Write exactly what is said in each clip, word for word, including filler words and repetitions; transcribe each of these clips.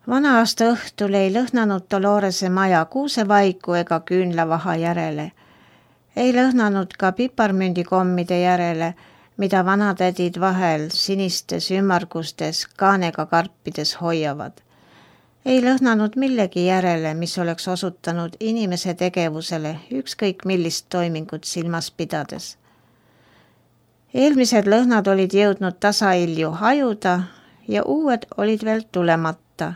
Vana aasta õhtul ei lõhnanud Dolorese maja kuusevaiku ega küünlavaha järele. Ei lõhnanud ka piparmündikommide järele, mida vanatädid vahel sinistes ümmargustes kaanega karpides hoiavad. Ei lõhnanud millegi järele, mis oleks osutanud inimese tegevusele ükskõik millist toimingut silmas pidades. Eelmised lõhnad olid jõudnud tasailju hajuda ja uued olid veel tulemata.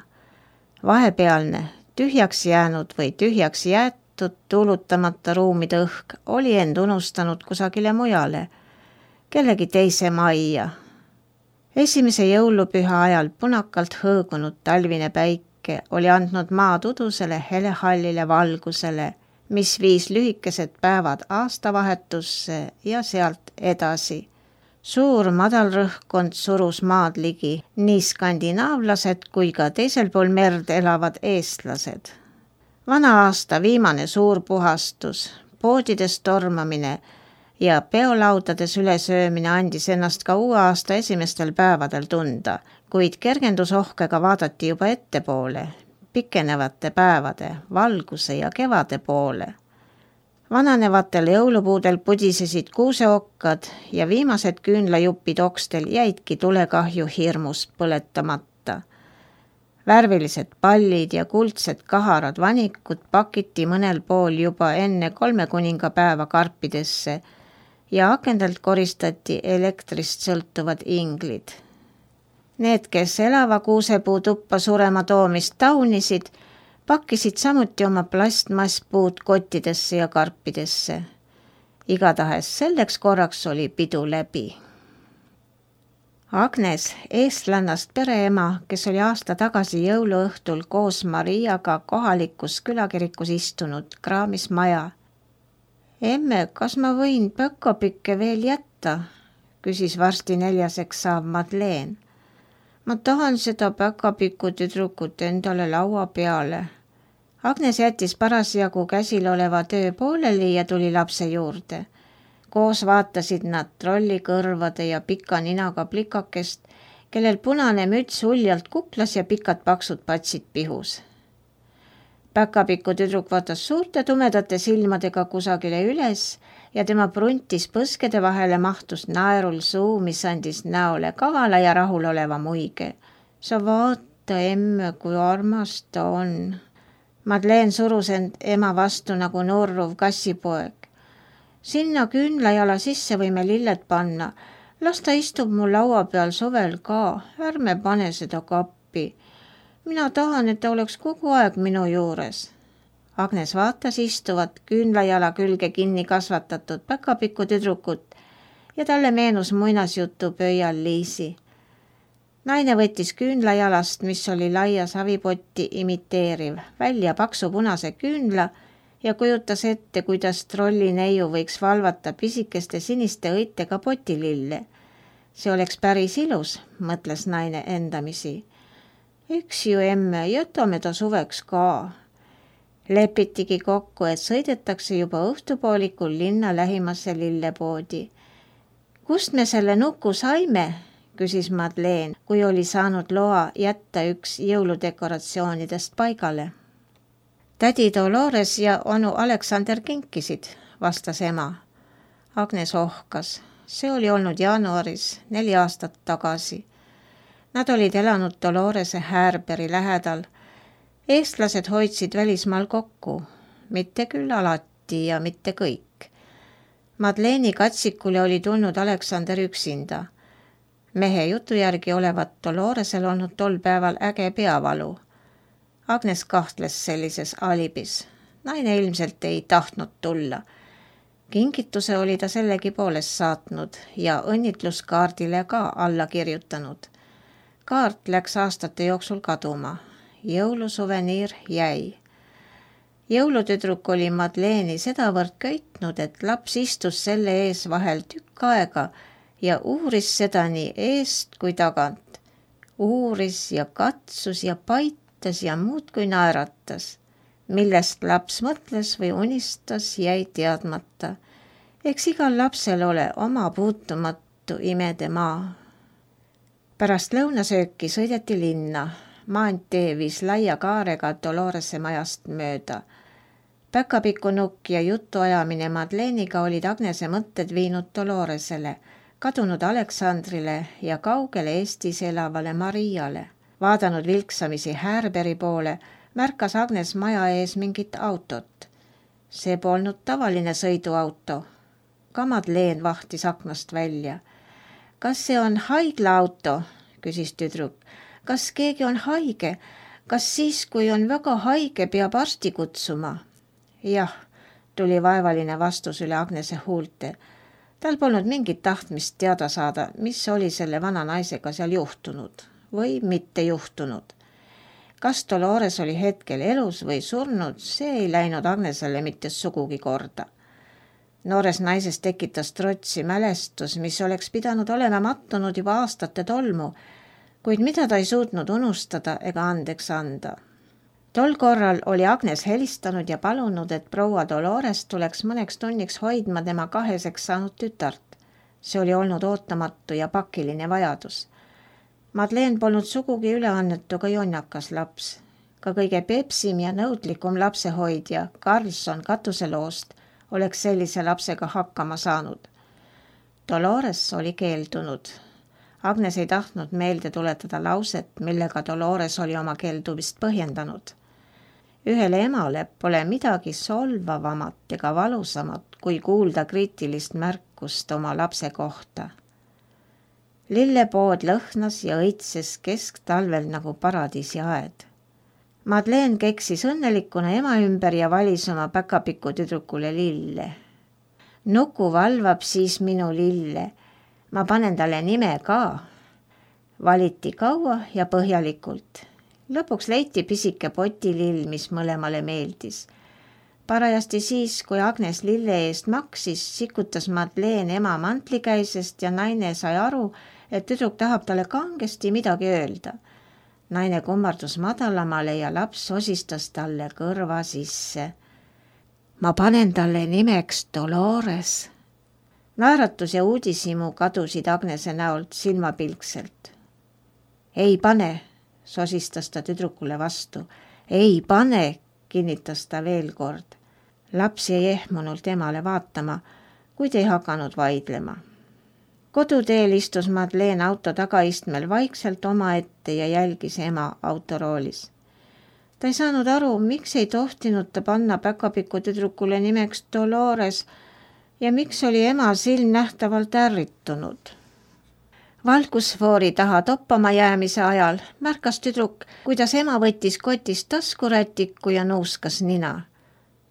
Vahepealne, tühjaks jäänud või tühjaks jäetud tuulutamata ruumide õhk oli end unustanud kusagile mujale, kellegi teise majja. Esimese jõulupüha ajal punakalt hõõgunud talvine päike oli andnud maa tudusele helehallile valgusele, mis viis lühikesed päevad aastavahetusse ja sealt edasi. Suur madalrõhkkond surus maad ligi, nii skandinaavlased kui ka teisel pool merd elavad eestlased. Vana aasta viimane suur puhastus, poodides tormamine ja peolaudades ülesöömine andis ennast ka uue aasta esimestel päevadel tunda, kuid kergendusohkega vaadati juba ettepoole, pikenevate päevade, valguse ja kevade poole. Vananevatel jõulupuudel pudisesid kuuseokkad ja viimased küünlajupid okstel jäidki tulekahju hirmus põletamata. Värvilised pallid ja kuldsed kaharad vanikud pakiti mõnel pool juba enne kolme kuninga päeva karpidesse ja akendelt koristati elektrist sõltuvad inglid. Need, kes elava kuusepuu tuppa surema toomist taunisid, pakkisid samuti oma plastmasspuud kottidesse ja karpidesse. Igatahes selleks korraks oli pidu läbi. Agnes, eestlannast pereema, kes oli aasta tagasi jõuluõhtul koos Mariaga kohalikus külakirikus istunud, kraamis maja. Emme, kas ma võin pökkopikke veel jätta? Küsis varsti neljaseks saav Madeleine. Ma tahan seda päkapiku tüdrukut endale laua peale. Agnes jättis parasjagu käsil oleva töö pooleli ja tuli lapse juurde. Koos vaatasid nad trollikõrvade ja pika ninaga plikakest, kellel punane müts uljalt kuklas ja pikad paksud patsid pihus. Päkapiku tüdruk vaatas suurte tumedate silmadega kusagile üles ja tema pruntis põskede vahele mahtus naerul suu, mis andis näole kavala ja rahuloleva muige. Sa vaata, emme, kui armas ta on. Madeleine surus end ema vastu nagu nurruv kassipoeg. Sinna küünlajala sisse võime lilled panna. Las ta istub mu laua peal suvel ka. Ärme pane seda kappi. Mina tahan, et ta oleks kogu aeg minu juures. Agnes vaatas istuvat küünlajala külge kinni kasvatatud päkapiku tüdrukut ja talle meenus muinasjutu pöial Liisi. Naine võttis küünlajalast, mis oli laia savipotti imiteeriv, välja paksu punase küünla ja kujutas ette, kuidas trolli neiu võiks valvata pisikeste siniste õitega potilille. See oleks päris ilus, mõtles naine endamisi. Eks ju, emme, jätame ta suveks ka. Lepitigi kokku, et sõidetakse juba õhtupoolikul linna lähimasse lillepoodi. Kust me selle nuku saime? Küsis Madeleine, kui oli saanud loa jätta üks jõuludekoratsioonidest paigale. Tädi Dolores ja onu Aleksander kinkisid, vastas ema. Agnes ohkas. See oli olnud jaanuaris neli aastat tagasi. Nad olid elanud Dolorese Härberi lähedal. Eestlased hoidsid välismaal kokku, mitte küll alati ja mitte kõik. Madeleini katsikule oli tulnud Aleksander üksinda. Mehe jutu järgi olevat Doloresel olnud tol päeval äge peavalu. Agnes kahtles sellises alibis. Naine ilmselt ei tahtnud tulla. Kingituse oli ta sellegi poolest saatnud ja õnnitluskaardile ka alla kirjutanud. Kaart läks aastate jooksul kaduma. Jõulusuveniir jäi. Jõulutüdruk oli Madeleine'i sedavõrd köitnud, et laps istus selle ees vahel tükk aega ja uuris seda nii eest kui tagant. Uuris ja katsus ja paitas ja muudkui naeratas. Millest laps mõtles või unistas, jäi teadmata. Eks igal lapsel ole oma puutumatu imede maa. Pärast lõunasööki sõideti linna. maantee viis laia kaarega Dolorese majast mööda. Päkapiku nukk ja jutuajamine Madeleeniga olid Agnese mõtted viinud Doloresele, kadunud Aleksandrile ja kaugele Eestis elavale Mariale. Vaadanud vilksamisi Härberi poole, märkas Agnes maja ees mingit autot. See polnud tavaline sõiduauto. Ka Madeleine vahtis aknast välja. Kas see on haiglaauto? Küsis tüdruk. Kas keegi on haige? Kas siis, kui on väga haige, peab arsti kutsuma? Jah, tuli vaevaline vastus üle Agnese huulte. Tal polnud mingit tahtmist teada saada, mis oli selle vana naisega seal juhtunud või mitte juhtunud. Kas Dolores oli hetkel elus või surnud, see ei läinud Agnesele mitte sugugi korda. Noores naises tekitas trotsi mälestus, mis oleks pidanud olema mattunud juba aastate tolmu, kuid mida ta ei suutnud unustada ega andeks anda. Tol korral oli Agnes helistanud ja palunud, et proua Dolores tuleks mõneks tunniks hoidma tema kaheseks saanud tütart. See oli olnud ootamatu ja pakiline vajadus. Madeleine polnud sugugi üleannetu ka jonnakas laps. Ka kõige pepsim ja nõudlikum lapsehoidja, Carlson katuseloost, oleks sellise lapsega hakkama saanud. Dolores oli keeldunud. Agnes ei tahtnud meelde tuletada lauset, millega Dolores oli oma keeldumist põhjendanud. Ühele emale pole midagi solvavamat ega valusamat, kui kuulda kriitilist märkust oma lapse kohta. Lillepood lõhnas ja õitses kesktalvel nagu paradiisi aed. Madeleine keksis õnnelikuna ema ümber ja valis oma päkapiku tüdrukule lille. Nuku valvab siis minu lille. Ma panen talle nime ka. Valiti kaua ja põhjalikult. Lõpuks leiti pisike potilill, mis mõlemale meeldis. Parajasti siis, kui Agnes lille eest maksis, sikutas Madeleine ema mantlikäisest ja naine sai aru, et tüdruk tahab talle kangesti midagi öelda. Naine kummardus madalamale ja laps osistas talle kõrva sisse. Ma panen talle nimeks Dolores. Naeratus ja uudishimu kadusid Agnese näolt silmapilkselt. Ei pane, sosistas ta tüdrukule vastu. Ei pane, kinnitas ta veel kord. Laps jäi ehmunult emale vaatama, kuid ei hakanud vaidlema. Koduteel istus Madeleine auto tagaistmel vaikselt omaette ja jälgis ema autoroolis. Ta ei saanud aru, miks ei tohtinud ta panna päkapiku tüdrukule nimeks Dolores ja miks oli ema silm nähtavalt ärritunud. Valgusfoori taha toppama jäämise ajal märkas tüdruk, kuidas ema võttis kotist taskurätiku ja nuuskas nina.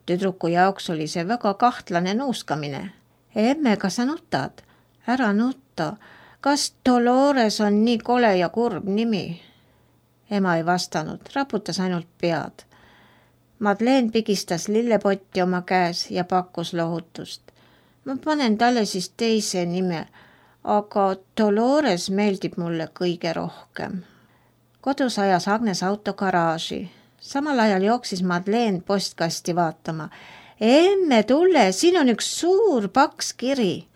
Tüdruku jaoks oli see väga kahtlane nuuskamine. Emme, kas sa nutad? Ära nutta. Kas Dolores on nii kole ja kurb nimi? Ema ei vastanud, raputas ainult pead. Madeleine pigistas lillepotti oma käes ja pakkus lohutust. Ma panen talle siis teise nime, aga Dolores meeldib mulle kõige rohkem. Kodus ajas Agnes auto garaaži. Samal ajal jooksis Madeleine postkasti vaatama. Emme, tule, siin on üks suur paks kiri.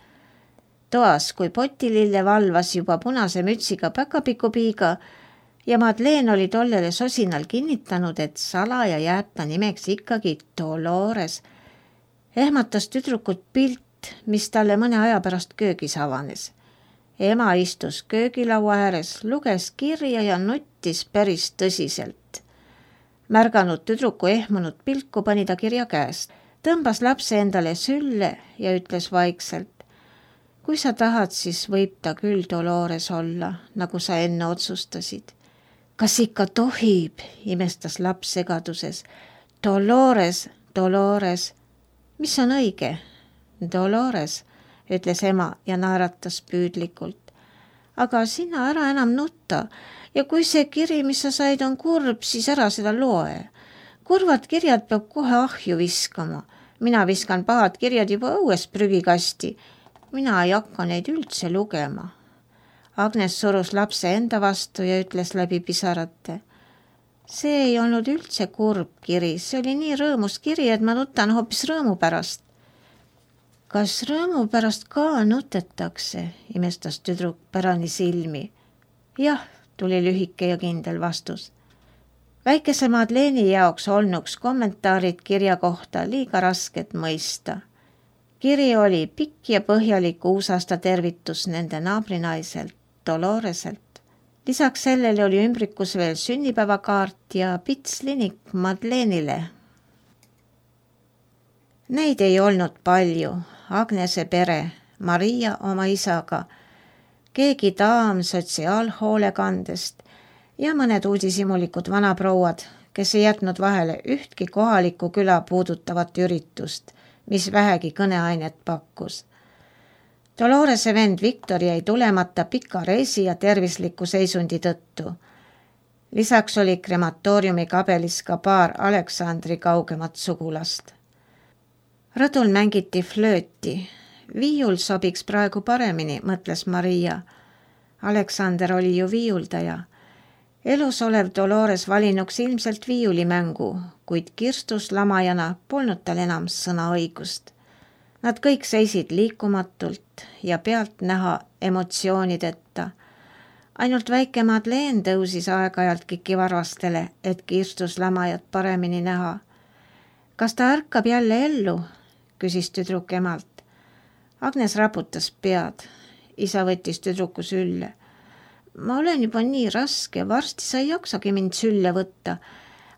Toas, kui potilille valvas juba punase mütsiga päkapikupiiga ja Madeleine oli tollele sosinal kinnitanud, et salaja jääb ta nimeks ikkagi Dolores. Ehmatas tüdrukut pilt, mis talle mõne aja pärast köögis avanes. Ema istus köögilaua ääres, luges kirja ja nuttis päris tõsiselt. Märganud tüdruku ehmunud pilku, pani ta kirja käest. Tõmbas lapse endale sülle ja ütles vaikselt. Kui sa tahad, siis võib ta küll Dolores olla, nagu sa enne otsustasid. Kas ikka tohib, imestas laps segaduses. Dolores, Dolores. Mis on õige? Dolores, ütles ema ja naeratas püüdlikult. Aga sina ära enam nutta ja kui see kiri, mis sa said, on kurb, siis ära seda loe. Kurvad kirjad peab kohe ahju viskama. Mina viskan pahad kirjad juba õues prügikasti. Mina ei hakka neid üldse lugema. Agnes surus lapse enda vastu ja ütles läbi pisarate. See ei olnud üldse kurb kiri, see oli nii rõõmus kiri, et ma nutan hoopis rõõmu pärast. Kas rõõmu pärast ka nutetakse, imestas tüdruk pärani silmi. Jah, tuli lühike ja kindel vastus. väikese Madeleini jaoks olnuks kommentaarid kirja kohta liiga rasket mõista. Kiri oli pikk ja põhjalik uusaasta tervitus nende naabrinaiselt, Doloreselt. Lisaks sellele oli ümbrikus veel sünnipäevakaart ja pitslinik Madeleinile. Neid ei olnud palju, Agnese pere, Maria oma isaga, keegi daam sotsiaalhoolekandest ja mõned uudishimulikud vanaprouad, kes ei jätnud vahele ühtki kohaliku küla puudutavat üritust, mis vähegi kõneainet pakkus. Dolorese vend Viktor jäi tulemata pika reisi ja tervisliku seisundi tõttu. Lisaks oli krematooriumi kabelis ka paar Aleksandri kaugemat sugulast. Rõdul mängiti flööti. Viiul sobiks praegu paremini, mõtles Maria. Aleksander oli ju viiuldaja. Elus olev Dolores valinuks ilmselt viiulimängu, kuid kirstus lamajana polnud tal enam sõnaõigust. Nad kõik seisid liikumatult ja pealt näha emotsioonideta. Ainult väike Madeleine tõusis aeg-ajalt kikivarvastele, et kirstus lamajat paremini näha. Kas ta ärkab jälle ellu? Küsis tüdruk emalt. Agnes raputas pead. Isa võttis tüdruku sülle. Ma olen juba nii raske, varsti sa ei jaksagi mind sülle võtta,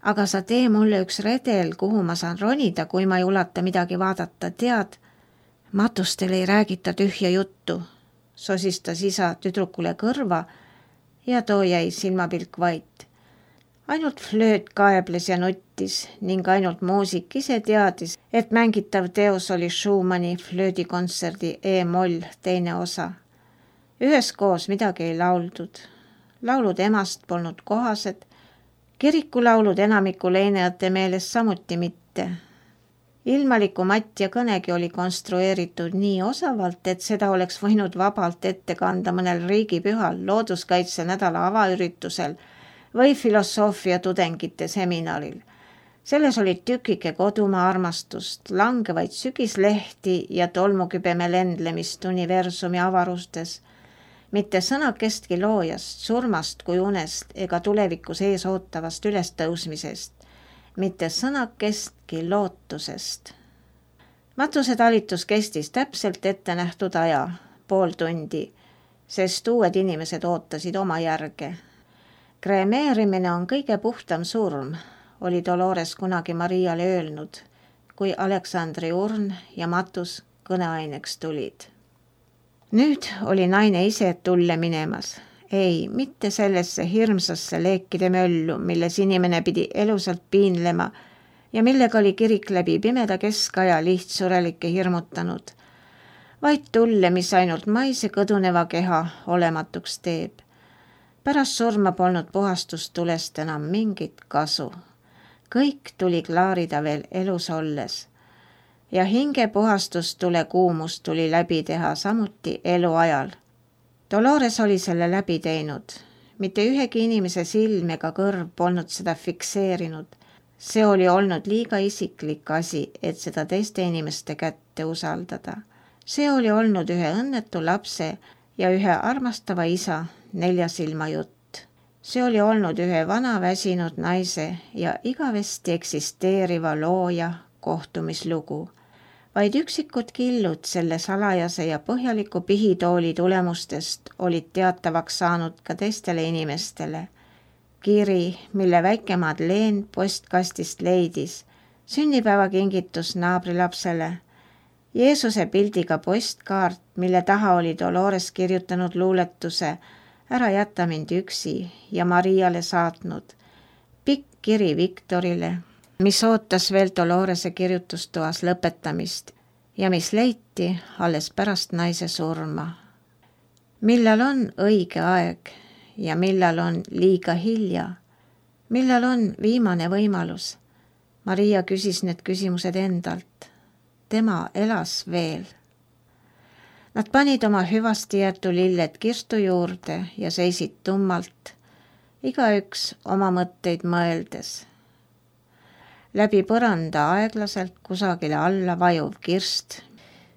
aga sa tee mulle üks redel, kuhu ma saan ronida, kui ma ei ulata midagi vaadata, tead. Matustel ei räägita tühja juttu, sosistas isa tüdrukule kõrva ja too jäi silmapilk vait. Ainult flööt kaebles ja nuttis ning ainult muusik ise teadis, et mängitav teos oli Schumanni flöödikontserdi E-moll teine osa. Üheskoos midagi ei lauldud. Laulud emast polnud kohased, kirikulaulud enamiku leinajate meelest samuti mitte. Ilmaliku Matja kõnegi oli konstrueeritud nii osavalt, et seda oleks võinud vabalt ette kanda mõnel riigipühal, looduskaitse nädala avaüritusel või filosoofia tudengite seminaril. Selles olid tükike kodumaa armastust, langevaid sügislehti ja tolmukübeme lendlemist universumi avarustes, mitte sõnakestki loojast, surmast kui unest ega tulevikus ees ootavast ülestõusmisest, mitte sõnakestki lootusest. Matuse talitus kestis täpselt ette nähtud aja, pool tundi, sest uued inimesed ootasid oma järge. Kremeerimine on kõige puhtam surm, oli Dolores kunagi Mariale öelnud, kui Aleksandri urn ja matus kõneaineks tulid. Nüüd oli naine ise tulle minemas. Ei, mitte sellesse hirmsasse leekide möllu, milles inimene pidi elusalt piinlema ja millega oli kirik läbi pimeda keskaja lihtsurelikke hirmutanud, vaid tulle, mis ainult maise kõduneva keha olematuks teeb. Pärast surma polnud puhastustulest enam mingit kasu. Kõik tuli klaarida veel elus olles. Ja hinge puhastustule kuumus tuli läbi teha samuti eluajal. Dolores oli selle läbi teinud. Mitte ühegi inimese silm ega kõrv polnud seda fikseerinud. See oli olnud liiga isiklik asi, et seda teiste inimeste kätte usaldada. See oli olnud ühe õnnetu lapse ja ühe armastava isa neljasilma jutt. See oli olnud ühe vana väsinud naise ja igavesti eksisteeriva looja kohtumislugu. Vaid üksikud killud selle salajase ja põhjaliku pihitooli tulemustest olid teatavaks saanud ka teistele inimestele. Kiri, mille väike Madeleine postkastist leidis, sünnipäevakingitus naabrilapsele, Jeesuse pildiga postkaart, mille taha oli Dolores kirjutanud luuletuse Ära jäta mind üksi ja Mariale saatnud, pikk kiri Viktorile, mis ootas veel Dolorese kirjutustoas lõpetamist ja mis leiti alles pärast naise surma. Millal on õige aeg ja millal on liiga hilja? Millal on viimane võimalus? Maria küsis need küsimused endalt. Tema elas veel. Nad panid oma hüvasti jäetu lilled kirstu juurde ja seisid tummalt, igaüks oma mõtteid mõeldes. Läbi põranda aeglaselt kusagile alla vajuv kirst,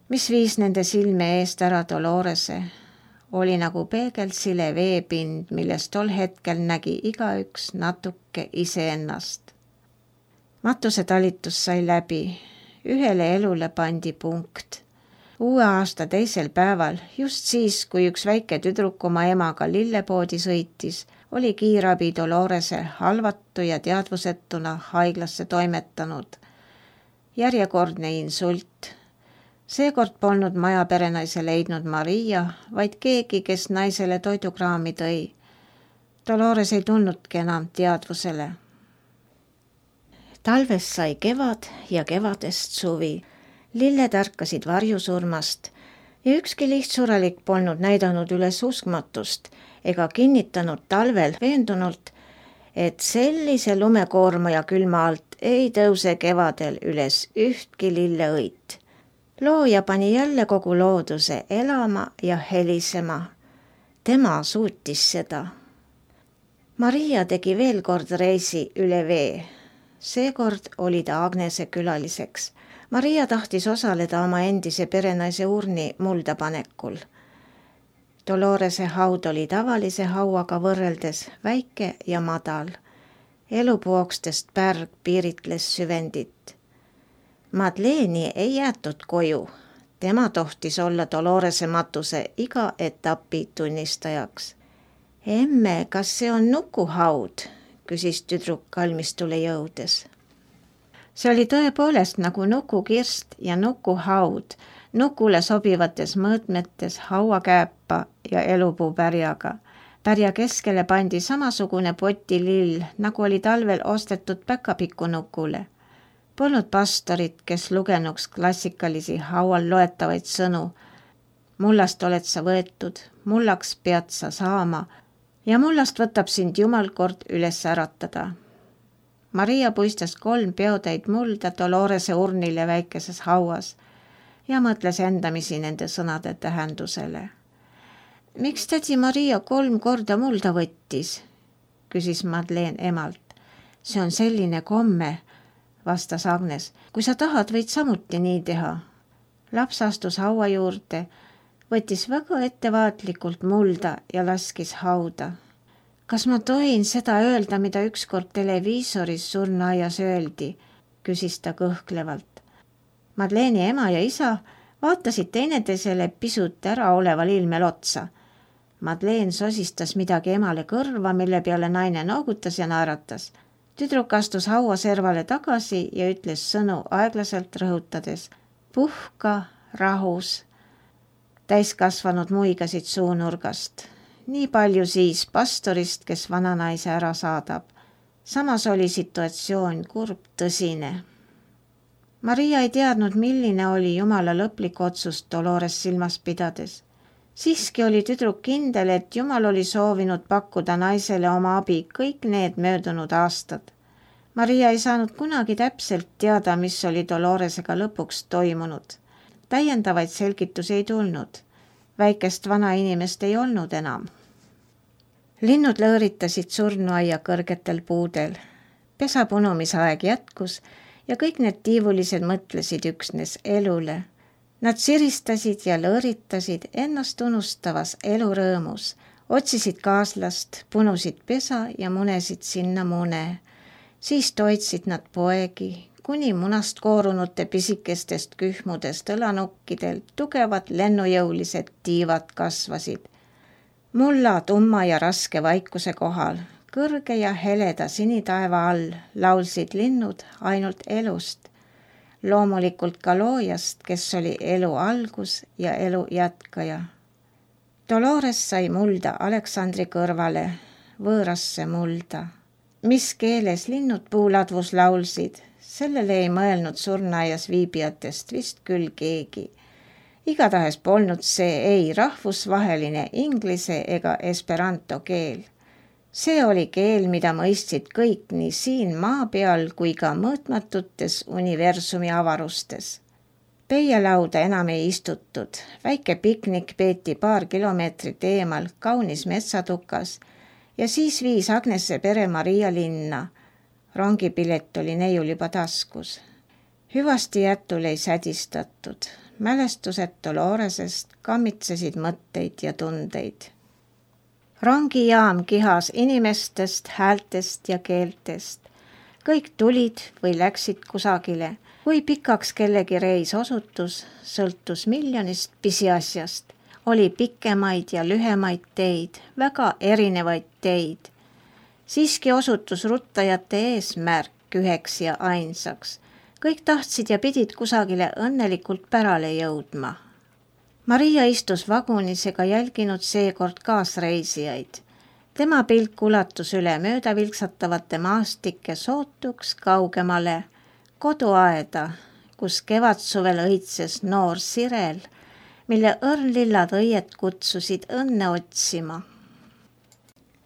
mis viis nende silme eest ära Dolorese, oli nagu peegelsile veepind, millest tol hetkel nägi igaüks natuke iseennast. Matuse talitus sai läbi, ühele elule pandi punkt. Uue aasta teisel päeval, just siis, kui üks väike tüdruk oma emaga lillepoodi sõitis, oli kiirabi Dolorese halvatu ja teadvusetuna haiglasse toimetanud. Järjekordne insult. Seekord polnud maja perenaise leidnud Maria, vaid keegi, kes naisele toidukraami tõi. Dolores ei tulnudki enam teadvusele. Talvest sai kevad ja kevadest suvi. Lilled ärkasid varjusurmast ja ükski lihtsuralik polnud näidanud üles uskmatust ega kinnitanud talvel veendunult, et sellise lumekoorma ja külma alt ei tõuse kevadel üles ühtki lilleõit. Looja pani jälle kogu looduse elama ja helisema. Tema suutis seda. Maria tegi veel kord reisi üle vee. Seekord oli ta Agnese külaliseks. Maria tahtis osaleda oma endise perenaise urni muldapanekul. Dolorese haud oli tavalise hauaga võrreldes väike ja madal. Elupuokstest pärg piiritles süvendit. Madeleeni ei jäetud koju. Tema tohtis olla Dolorese matuse iga etapi tunnistajaks. Emme, kas see on nukuhaud? Küsis tüdruk kalmistule jõudes. See oli tõepoolest nagu nukukirst ja nukuhaud, nukule sobivates mõõtmetes hauakääpa ja elupuu pärjaga. Pärja keskele pandi samasugune potilill, nagu oli talvel ostetud päkapikku nukule. Polnud pastorit, kes lugenuks klassikalisi haual loetavaid sõnu. Mullast oled sa võetud, mullaks pead sa saama ja mullast võtab sind Jumal kord üles äratada. Maria puistas kolm peotäid mulda Dolorese urnile väikeses hauas ja mõtles endamisi nende sõnade tähendusele. Miks tädi Maria kolm korda mulda võttis? Küsis Madeleine emalt. See on selline komme, vastas Agnes. Kui sa tahad, võid samuti nii teha. Laps astus haua juurde, võttis väga ettevaatlikult mulda ja laskis hauda. Kas ma tohin seda öelda, mida ükskord televiisoris surnuaias öeldi, küsis ta kõhklevalt. Madeleini ema ja isa vaatasid teineteisele pisut ära oleval ilmel otsa. Madeleine sosistas midagi emale kõrva, mille peale naine noogutas ja naeratas. Tüdruk astus haua servale tagasi ja ütles sõnu aeglaselt rõhutades. Puhka, rahus. Täiskasvanud muigasid suunurgast. Nii palju siis pastorist, kes vananaise ära saadab. Samas oli situatsioon kurb tõsine. Maria ei teadnud, milline oli Jumala lõplik otsus Dolores silmas pidades. Siiski oli tüdruk kindel, et Jumal oli soovinud pakkuda naisele oma abi kõik need möödunud aastad. Maria ei saanud kunagi täpselt teada, mis oli Doloresega lõpuks toimunud. Täiendavaid selgitusi ei tulnud. Väikest vana inimest ei olnud enam. Linnud lõõritasid surnuaia kõrgetel puudel. Pesa punumisaeg jätkus ja kõik need tiivulised mõtlesid üksnes elule. Nad siristasid ja lõõritasid ennast unustavas elurõõmus, otsisid kaaslast, punusid pesa ja munesid sinna mune. Siis toitsid nad poegi, kuni munast koorunute pisikestest kühmudest õlanukkidel tugevad lennujõulised tiivad kasvasid. Mulla tumma ja raske vaikuse kohal, kõrge ja heleda sinitaeva all laulsid linnud ainult elust, loomulikult ka loojast, kes oli elu algus ja elu jätkaja. Dolores sai mulda Aleksandri kõrvale, võõrasse mulda. Mis keeles linnud puuladvus laulsid, sellele ei mõelnud surnuaias viibijatest vist küll keegi. Igatahes polnud see ei rahvusvaheline inglise ega esperanto keel. See oli keel, mida mõistsid kõik nii siin maa peal kui ka mõõtmatutes universumi avarustes. Peielauda enam ei istutud, väike piknik peeti paar kilomeetrit eemal kaunis metsatukas ja siis viis Agnese pere Maria linna. Rongipilet oli neiul juba taskus. Hüvasti jätul ei sädistatud. mälestused Doloresest kammitsesid mõtteid ja tundeid. Rongijaam kihas inimestest, häältest ja keeltest. Kõik tulid või läksid kusagile. Kui pikaks kellegi reis osutus, sõltus miljonist pisiasjast. Oli pikemaid ja lühemaid teid, väga erinevaid teid. Siiski osutus ruttajate eesmärk üheks ja ainsaks. Kõik tahtsid ja pidid kusagile õnnelikult pärale jõudma. Maria istus vagunis ega jälginud seekord kaasreisijaid. Tema pilk ulatus üle mööda vilksatavate maastike sootuks kaugemale koduaeda, kus kevadsuvel õitses noor sirel, mille õrnlillad õied kutsusid õnne otsima.